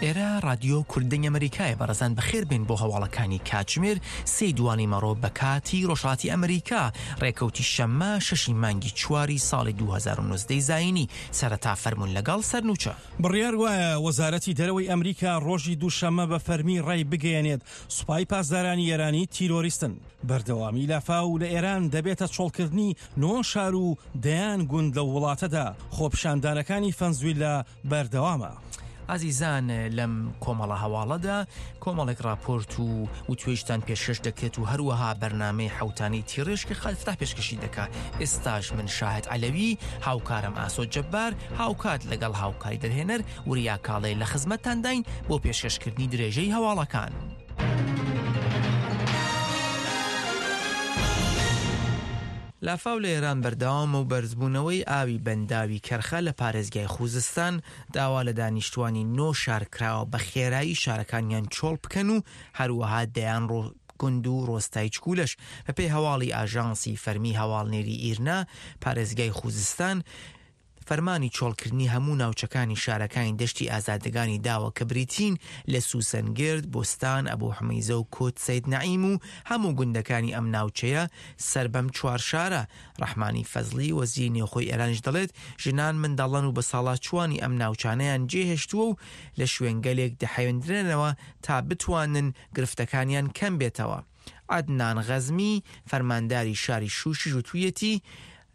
ئێرە ڕادیۆ کورد دەنگی ئەمەریکایە بەڕێزان بەخێر بێن بۆ هەواڵەکانی کاتژمێر سێی دوانی مەڕۆ بە کاتی ڕۆژهەڵاتی ئەمریکا ڕێکەوتی شەممە شەشی مانگی چواری ساڵی 2019 زایینی سەرەتا فەرموون لەگەڵ سەرنوچە. بڕیار وایە وەزارەتی دەرەوەی ئەمریکا ڕۆژی دووشەممە بە فەرمی ڕایبگەیەنێت سوپای پاسدارانی ئێرانی تیرۆریستن. بەردەوامی لافاو لە ئێران دەبێتە چۆڵکردنی نۆ شار و دەیان گوند لەو وڵاتەدا، خۆپیشاندانەکانی فەنزویلا بەردەوامە. ئازیزان لەم کۆمەڵە هەواڵەدا کۆمەڵێک ڕاپۆرت و وتوێژتان پێشکەش دەکرێت و هەروەها بەرنامەی حوتانی تیڕێژ کە خالد فتاح پێشکەشی دەکات ئێستاش من شاهد عەلەوی هاوکارم ئاسۆ جەبار هاوکات لەگەڵ هاوکاری دەرهێنەر وریا کاڵێ لە خزمەتتانداین بۆ پێشکەشکردنی درێژەی هەواڵەکان. لافاو لە ئێران بەردەوامە و بەرزبوونەوەی ئاوی بەنداوی کەرخە لە پارێزگای خوزستان داوا لە دانیشتوانی نۆ شار کراوە بە خێرایی شارەکانیان چۆڵ بکەن و هەروەها دەیان گوند و ڕۆستای چکولەش بەپێی هەواڵی ئاژانسی فەرمی هەواڵنێری ئیرنا پارێزگای خوزستان فەرمانی چۆڵکردنی هەموو ناوچەکانی شارەکانی دەشتی ئازادەگانی داوە کە بریتین لە سوسەنگرد، بوستان، ئەبوحومەیزە و کوت سەید نەعیم و هەموو گوندەکانی ئەم ناوچەیە سەر بەم چوار شارە. ڕەحمانی فەزڵی وەزیری نێوخۆی ئێرانیش دەڵێت، ژنان، منداڵان و بەساڵاچووانی ئەم ناوچانەیان جێهێشتووە و لە شوێنگەلێک دەحەوێندرێنەوە تا بتوانن گرفتەکانیان کەم بێتەوە. عەدنان غەزمی، فەرمانداری شاری شوشیش وتوویەتی،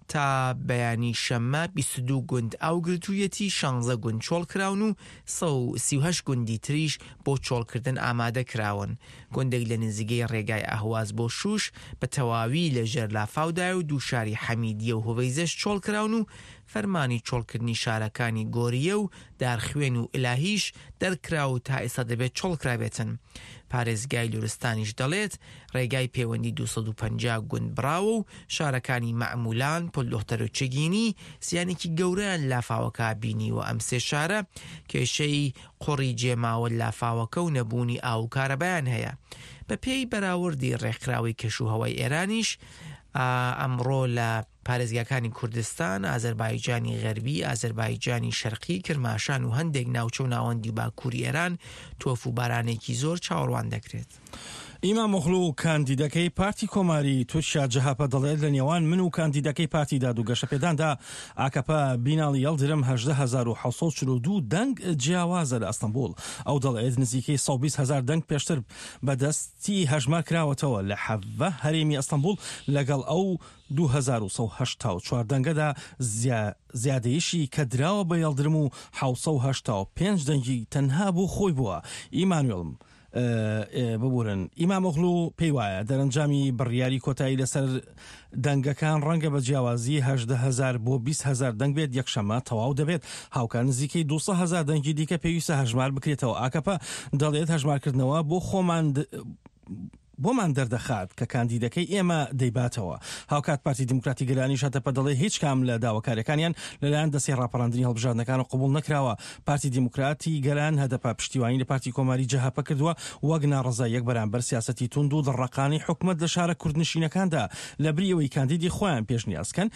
تا بەیانی شەممە 22 گوند ئاو گرتوویەتی، شانزە گوند چۆڵکراون و 138 گوندی تریش بۆ چۆڵکردن ئامادە کراون. گوندێک لە نزیگەی ڕێگای ئەهواز بۆ شوش بە تەواوی لە ژێر لافاودایە و دوو شاری حەمیدیە و هوەیزەش چۆڵکراون و فەرمانی چۆڵکردنی شارەکانی گۆریە و دارخوێن و ئیلاهیش دەرکرا و تا ئێستا دەبێت چۆڵکرابێتن. پارێزگای لورستانیش دەڵێت، ڕێگای پەیوەندی 250 گوند بڕاوە و شارەکانی مەعمولان، پلدۆختەر و چگینی زیانێکی گەورەیان لافاوەکە بینیوە، ئەم سێ شارە کێشەی قوڕی جێماوە لافاوەکە و نەبوونی ئاو و کارەبایان هەیە. بەپێی بەراوردی ڕێکخراوەی کەشوهەوای ئێرانیش، ئەمڕۆ لە پارێزگاکانی کوردستان، ئازەربایجانی غەربی، ئازەربایجانی شەرقی، کرماشان و هەندێک ناوچە و ناوەندی باکووری ئێران تۆف و بارانێکی زۆر چاوەڕوان دەکرێت. ئیمامئۆغلو کاندیدەکەی پارتی کۆماری تورکیا جەهەپە دەڵێت لە نێوان من و کاندیدەکەی پارتی داد و گەشەپێداندا ئاکەپە بیناڵی یەڵدرم 18742 دەنگ جیاوازە لە ئەستەنبوڵ. ئەو دەڵێت نزیکەی 120 هەزار دەنگ پێشتر بە دەستی هەژمار کراوەتەوە لە حەڤە هەرێمی ئەستەنبوڵ لەگەڵ ئەو 2184 دەنگەدا زیادەیشی کە دراوە بە یەڵدرم و 785 دەنگی تەنها بۆ خۆی بووە. ئیمانوێڵ ببورن ئیمامئۆغلو پێی وایە دەرەنجامی بڕیاری کۆتایی لەسەر دەنگەکان ڕەنگە بە جیاوازی 18 هەزار بۆ 20 هەزار دەنگ بێت یەکشەممە تەواو دەبێت هاوکات نزیکەی 200 هەزار دەنگی دیکە پێویستە هەژمار بکرێتەوە ئاکەپە دەڵێت هەژمارکردنەوە بۆ خۆمان بۆمان دەردەخات کە کاندیدەکەی ئێمە دەیباتەوە. هاوکات پارتی دیموکراتی گەلانیش هەتەپە دەڵێ هیچ کام لە داواکاریەکانیان لەلایەن دەستەی ڕاپەڕاندنی هەڵبژاردنەکانەوە قبوڵ نەکراوە. پارتی دیموکراتی گەلان هەدەپە پشتیوانی لە پارتی کۆماری جەهەپە کردووە وەک ناڕەزاییەک بەرامبەر سیاسەتی توند و دڕڕەقانەی حکومەت لە شارە کوردنشینەکاندا لەبری ئەوەی کاندیدی خۆیان پێشنیاز کەن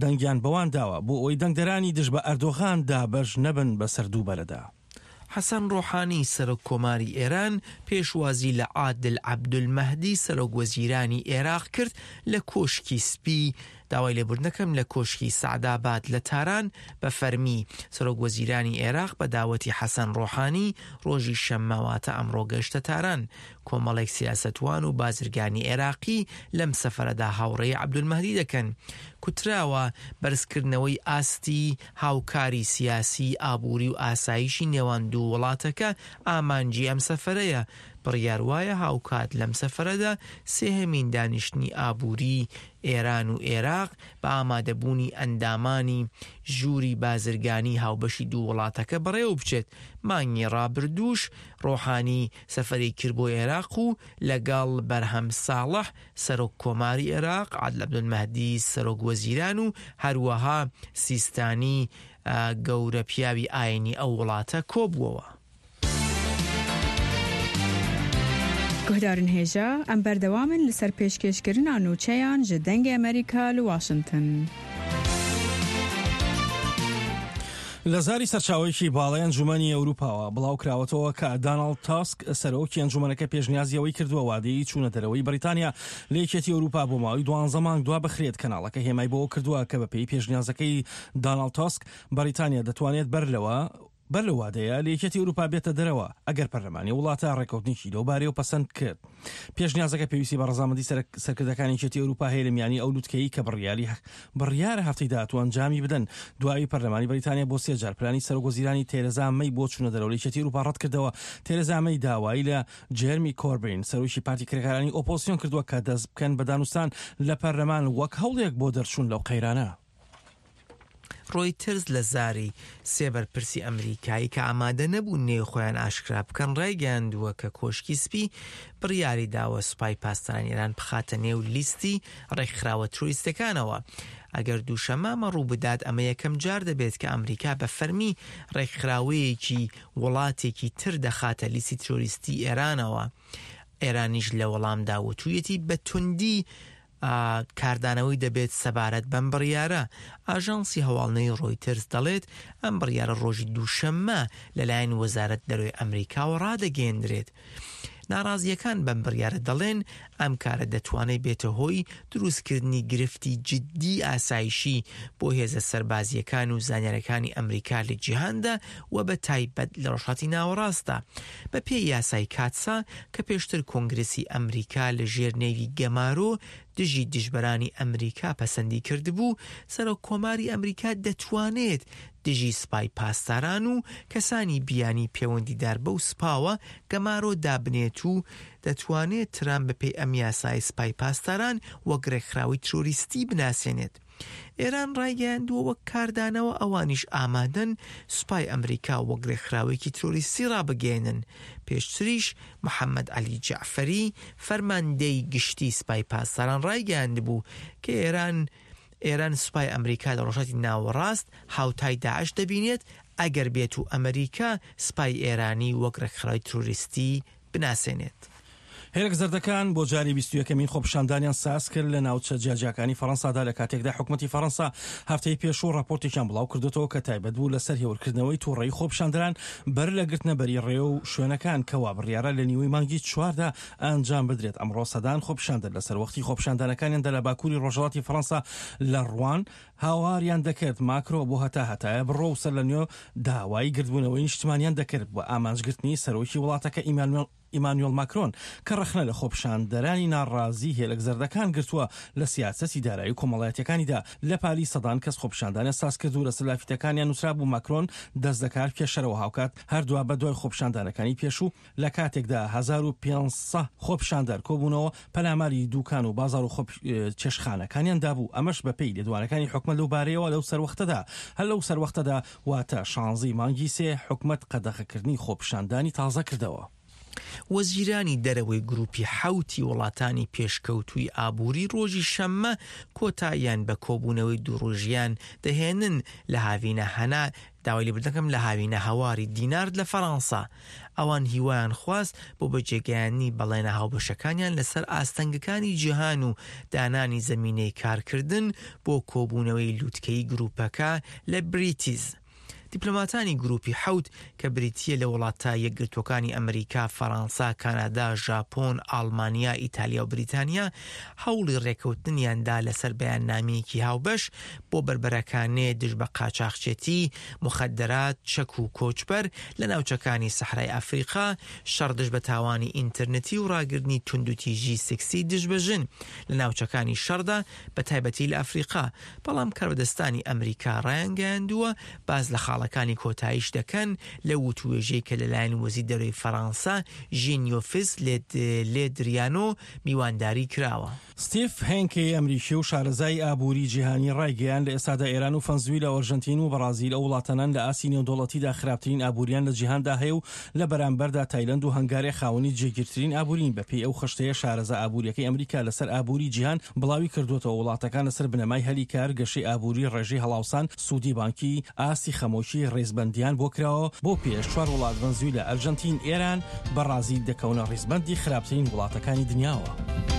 دەنگیان بەوان داوە بۆ ئەوەی دەنگدەرانی دژ بە ئەردۆغان دابەش نەبن بەسەر دوو بەرەدا. حەسەن ڕۆحانی سەرۆک کۆماری ئێران پێشوازی لە عادل عەبدولمەهدی سەرۆک وەزیرانی ئێراق کرد لە کۆشکی سپی داوای لێبوردنەکەم لە کۆشکی سەعداباد لە تاران بە فەرمی سەرۆک وەزیرانی ئێراق بە داوەتی حەسەن ڕۆحانی ڕۆژی شەممە واتە ئەمڕۆ گەشتە تاران کۆمەڵێک سیاسەتوان و بازرگانی عێراقی لەم سەفەرەدا هاوڕێی عەبدولمەهدی دەکەن. کوتراوە، بەرزکردنەوەی ئاستی هاوکاری سیاسی، ئابووری و ئاسایشی نێوان دوو وڵاتەکە ئامانجی ئەم سەفەرەیە. بڕیار وایە هاوکات لەم سەفەرەدا سێهەمین دانیشتنی ئابووری ئێران و ئێراق بە ئامادەبوونی ئەندامانی ژووری بازرگانی هاوبەشی دوو وڵاتەکە بەڕێوەبچێت. مانگی ڕابردووش ڕۆحانی سەفەری کرد بۆ ئێراق و لەگەڵ بەرهەم ساڵح سەرۆک کۆماری ئێراق، عادل عەبدولمەهدی سەرۆک وەزیران و هەروەها سیستانی گەورە پیاوی ئاینی ئەو وڵاتە کۆبووەوە. Guhdarên hêja, em berdewam in li ser pêşkêşkirina nûçeyan ji Dengê Amerîka li Washington. لە زاری سەرچاوەیەکی باڵای ئەنجومەنی ئەوروپاوە بڵاوکراوەتەوە کە داناڵد تاسک سەرۆکی ئەنجومەنەکە پێشنیازی ئەوەی کردووە وادەی چوونە دەرەوەی بەریتانیا لە یەکێتی ئەوروپا بۆ ماوەی دوانزە مانگ دوا بخرێت. کەناڵەکە هێمای بەوە کردووە کە بەپێی پێشنیازەکەی داناڵد تاسک بەریتانیا دەتوانێت بەر لەوە بەر لەو وادەیە لە یەکێتی ئەوروپا بێتە دەرەوە ئەگەر پەرلەمانی وڵاتە ڕێککەوتنێکی لەو بارەیەوە پەسەند کرد. پێشنیازەکە پێویستی بە ڕەزامەندی سەرکردەکانی یەکێتی ئەوروپا هەیە لە میانی ئەو لوتکەیەی کە بڕیاری بڕیارە هەفتەی داهاتوو ئەنجامی بدەن. دوای پەرلەمانی بەریتانیا بۆ سێ جار پلانی سەرۆکوەزیرانی تێرێزا مەی بۆ چوونە دەرەوە لە یەکێتی ئەوروپا ڕەتکردەوە. تێرێزا مەی داوای لە جێرمی کۆربین سەرۆکی پارتی کرێکارانی ئۆپۆزسیۆن کردووە کە دەست بکەن بە دانوستان لە پەرلەمان وەک هەوڵێک بۆ دەرچوون لەو قەیرانە. ڕۆیتەرز لە زاری سێ بەرپرسی ئەمریکایی کە ئامادە نەبوون نێوی خۆیان ئاشکرا بکەن ڕایگەیاندووە کە کۆشکی سپی بڕیاری داوە سوپای پاسدارانی ئێران بخاتە نێو لیستی ڕێکخراوە ترۆریستەکانەوە. ئەگەر دووشەممە ئەمە ڕووبدات ئەمە یەکەم جار دەبێت کە ئەمریکا بە فەرمی ڕێکخراوەیەکی وڵاتێکی تر دەخاتە لیستی ترۆریستی ئێرانەوە. ئێرانیش لە وەڵامدا وتوویەتی بە توندی کاردانەوەی دەبێت سەبارەت بەم بڕیارە. ئاژانسی هەواڵنێری ڕۆیتەرز دەڵێت، ئەم بڕیارە ڕۆژی دووشەممە لەلایەن وەزارەت دەرەوەی ئەمریکاوە ڕادەگەیەندرێت. ناڕازییەکان بەم بڕیارە دەڵێن، ئەم کارە دەتوانێت بێتە هۆی دروستکردنی گرفتی جددی ئاسایشی بۆ هێزە سەربازییەکان و زانیارەکانی ئەمریکا لە جیهاندا و بە تایبەت لە ڕۆژهەڵاتی ناوەڕاستدا. بە پێی یاسای کاتسا کە پێشتر کۆنگرسی ئەمریکا لە ژێر نێوی گەمارۆ دژی دژبەرانی ئەمریکا پەسەندی کردبوو، سەرۆک کۆماری ئەمریکا دەتوانێت دژی سپای پاسداران و کەسانی بیانی پێوەندیدار بەو سپاوە گەمارۆ دابنێت و دەتوانێت ترامپ بە پێی ئەم یاسایە سپای پاسداران وەک رێکخراوەی ترۆریستی بناسێنێت. ئێران ڕایگەیاندووە وەک کاردانەوە ئەوانیش ئامادەن سوپای ئەمریکا وەک رێکخراوێکی ترۆریستی ڕابگەیەنن، پێشتریش محەمەد عەلی جەعفەری فەرماندەی گشتی سپای پاسداران ڕایگەیاندبوو کە ئێران ئێران سوپای ئەمریکا لە ڕۆژهەڵاتی ناوەڕاست هاوتای داعش دەبینێت ئەگەر بێت و ئەمریکا سپای ئێرانی وەک ڕێکخراوی ترۆریستی بناسێنێت. هێلک زەردەکان بۆ جاری 21ەمین خۆپیشاندانیان ساز کرد لە ناوچە جیاجیاکانی فەڕەنسادا لە کاتێکدا حکومەتی فەڕەنسا هەفتەی پێشوو ڕاپۆرتێکیان بڵاو کردۆتەوە کە تایبەت بوو لەسەر هێورکردنەوەی توڕەیی خۆپیشاندەران بەر لە گرتنە بەری ڕێ و شوێنەکان کە وا بڕیارە لە نیوەی مانگی چواردا ئەنجام بدرێت ئەمڕۆ سەدان خۆپیشاندەر لەسەر وەختی خۆپیشاندانەکانیاندا لە باکووری ڕۆژهەڵاتی فەڕەنسا لە ڕوان هاواریان دەکرد ماکرۆ بۆ هەتا هەتایە بڕۆ و سەرلەنوێ داوای گردبوونەوەی نیشتمانیان دەکرد بە ئامانجگرتنی سەرۆکی وڵاتەکە ئیمانوێڵ ماکرۆن کە ڕەخنە لە خۆپیشاندەرانی ناڕازی هێلک زەردەکان گرتووە لە سیاسەتی دارایی و کۆمەڵایەتیەکانیدا لە پاریس سەدان کەس خۆپیشاندانیان سازکرد و لەسەر لافیتەکانیان نووسرابوو ماکرۆن دەست لەکار بکێشەرەوە هاوکات هەر دوابەدوای خۆپیشاندانەکانی پێشوو لە کاتێکدا 1500 خۆپیشاندەر کۆبوونەوە پەلاماری دوکان و بازاڕ و چێشتخانەکانیان دابوو، ئەمەش بەپێی لێدوانەکانی حکومەت لەو بارەیەوە لەو سەروەختەدا هەر لەو سەروەختەدا واتە شانزەی مانگی سێ حکومەت قەدەغەکردنی خۆپیشاندانی تازە کردەوە. وەزیرانی دەرەوەی گروپی حەوتی وڵاتانی پێشکەوتووی ئابووری ڕۆژی شەممە کۆتاییان بە کۆبوونەوەی دوو ڕۆژیان دەهێنن لە هاوینە هەنا داوای لێبوردن دەکەم لە هاوینە هەواری دینارد لە فەرانسا ئەوان هیوایان خواست بۆ بەجێگەیاندنی بەڵێنە هاوبەشەکانیان لەسەر ئاستەنگەکانی جیهان و دانانی زەمینەی کارکردن بۆ کۆبوونەوەی لوتکەیی گروپەکە لە بریتیز. دیپلۆماتانی گروپی حەوت کە بریتییە لە وڵاتە یەکگرتووەکانی ئەمریکا، فەرانسا، کانادا، ژاپۆن، ئاڵمانیا، ئیتالیا و بریتانیا هەوڵی ڕێکەوتنیان دا لەسەر بەیاننامەیەکی هاوبەش بۆ بەربەرەکانێ دژ بە قاچاخچێتی، موخەدەرات، چەک و کۆچبەر لە ناوچەکانی سەحرای ئەفریقا، شەڕ دژ بە تاوانی ئینترنتی و ڕاگرتنی توندوتیژی سکسی دژ بە ژن لە ناوچەکانی شەڕدا بە تایبەتی لە ئەفریقا. بەڵام کاربەدەستانی ئەمریکا ڕایانگەیاندووە باس لە خاڵەکانی کۆتاییش دەکەن لەو وتووێژەی کە لەلایەن وەزیر دەرەوەی فەرانسە ژین یۆفس لێدریانۆ میوانداری کراوە. ستیف هێنکی ئەمریکی و شارەزای ئابووری جیهانی ڕایگەیاند، لە ئێستادا ئێران و فەنزویلا و ئەرژەنتین و بەڕازیل ئەو وڵاتانەن لە ئاستی نێودەوڵەتیدا خراپترین ئابووریان لە جیهاندا هەیە و لە بەرامبەردا تایلەند و هەنگاریا خاوەنی جێگیرترین ئابوورین. بەپێی ئەو خشتەیە شارەزا ئابوورییەکەی ئەمریکا لەسەر ئابووری جیهان بڵاوی کردووەتەوە، وڵاتەکان لەسەر بنەمای هەلی کار، گەشەی ئابووری، ڕێژەی هەڵاوسان، سوودی بانکی، ئاستی خەمۆکی، ڕیزبەندییان بۆ کراوە، بۆ پێش چوار وڵات ڤەنزویلا، ئەرژەنتین، ئێران، بەڕازیل دەکەونە ڕیزبەندی خراپترین وڵاتەکانی دنیاوە.